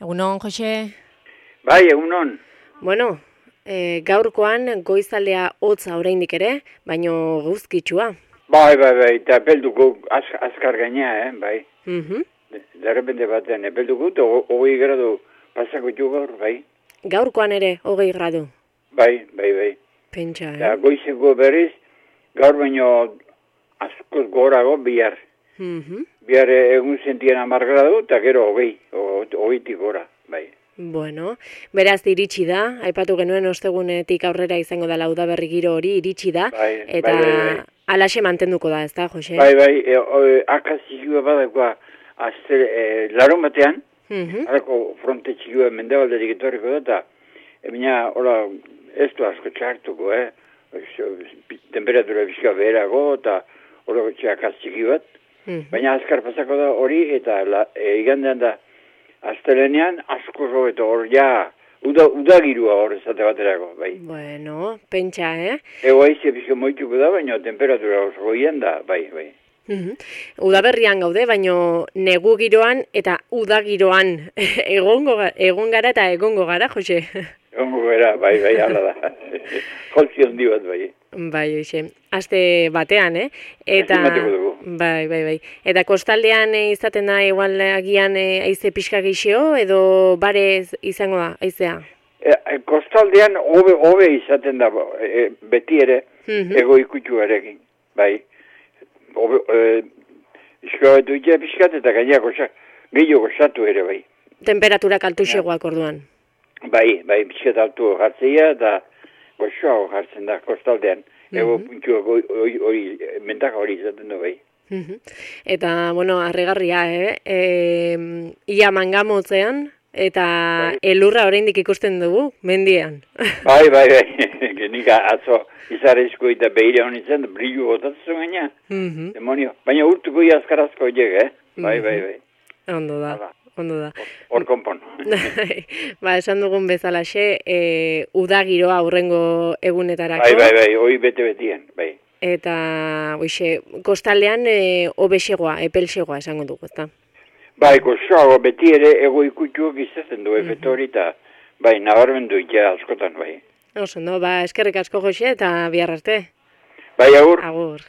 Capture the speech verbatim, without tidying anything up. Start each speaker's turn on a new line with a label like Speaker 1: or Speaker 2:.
Speaker 1: Egunon, Jose?
Speaker 2: Bai, egunon.
Speaker 1: Bueno, e, gaurkoan goizaldea hotza oraindik ere, baino guzkitsua.
Speaker 2: Bai, bai, bai, eta epelduko az, azkar gainea, eh, bai.
Speaker 1: Mhm.
Speaker 2: Derrepende batean, epelduko, eta hogei gradu pasako txu gaur, bai.
Speaker 1: Gaurkoan ere, hogei gradu.
Speaker 2: Bai, bai, bai.
Speaker 1: Pentsa, eh?
Speaker 2: Eta goizeko berriz, gaur baino askoz gorago bihar.
Speaker 1: Mhm.
Speaker 2: Bihar egun sentien amar gradu, eta gero hogei, hogeitik gora, bai.
Speaker 1: Bueno, beraz iritsi da, aipatu genuen ostegunetik aurrera izango da udaberri giro hori, iritsi da,
Speaker 2: Bai,
Speaker 1: eta
Speaker 2: bai, bai, bai.
Speaker 1: alaxe mantenduko da, ez da, Jose?
Speaker 2: Bai, bai, e, e, akazizioa badakoa, azte, e, larun batean,
Speaker 1: Mhm.
Speaker 2: harako fronte txigua mendebalderik etorriko da, eta emina, hola, ez du asko txartuko, eh? Temperatura bizka beherago, eta horako txakaz txiki bat.
Speaker 1: Mhm.
Speaker 2: Baina azkar pasako da hori, eta la, e, igandean da, astelenean asko zo, eta hor ja, uda, udagirua hor ezate baterako, bai.
Speaker 1: Bueno, pentsa, eh?
Speaker 2: Ego aize bizka moituko da, baina temperatura oso goian da, bai, bai.
Speaker 1: Mhm. Udaberrian gaude, baino negu giroan eta uda giroan egongo ga- egon gara eta egongo gara, Jose.
Speaker 2: Egongo gara, bai, bai, hala da. Jolzi handi bat, bai.
Speaker 1: Bai, hoxe. Aste batean, eh? Eta
Speaker 2: Aste bateko dugu.
Speaker 1: bai, bai, bai. Eta kostaldean eh, izaten da igual agian eh, haize pixka gixio edo bare izango da haizea.
Speaker 2: E, e, kostaldean hobe hobe izaten da e, beti ere
Speaker 1: Mhm.
Speaker 2: ego ikutsuarekin, bai. Hobe e, iskabetu ite pixkat eta gainera goza, gehiago gozatu ere, bai.
Speaker 1: Temperaturak altuxegoak orduan.
Speaker 2: Bai, bai, pixkat altu jartzea eta gozoago jartzen da kostaldean. Ego puntxua hori, hori, mentaka hori izaten du, bai.
Speaker 1: Mhm. Eta, bueno, harrigarria, eh? E, ia mangamotzean eta
Speaker 2: Bai.
Speaker 1: elurra oraindik ikusten dugu, mendian.
Speaker 2: Bai, bai, bai, genik atzo izarezko eta behire honi zen, brillu gotatzen gaina,
Speaker 1: Mhm.
Speaker 2: demonio. Baina urtuko iaskarazko horiek, eh? Bai, bai, bai.
Speaker 1: Ondo da,
Speaker 2: Hala.
Speaker 1: ondo da.
Speaker 2: Hor konpon.
Speaker 1: Ba, esan dugun bezalaxe, e, udagiroa aurrengo egunetarako.
Speaker 2: Bai, bai, bai, hoi bete-betien, bai.
Speaker 1: Eta, hoxe, kostaldean e, obexegoa, epelxegoa esango dugu, ezta?
Speaker 2: Bai, gozoago beti ere ego ikutxuak izaten du efektu hori eta, bai, nabarmendu ja askotan, bai.
Speaker 1: Oso, no, ba, eskerrik asko, Jose, eta bihar arte.
Speaker 2: Bai, agur.
Speaker 1: Agur.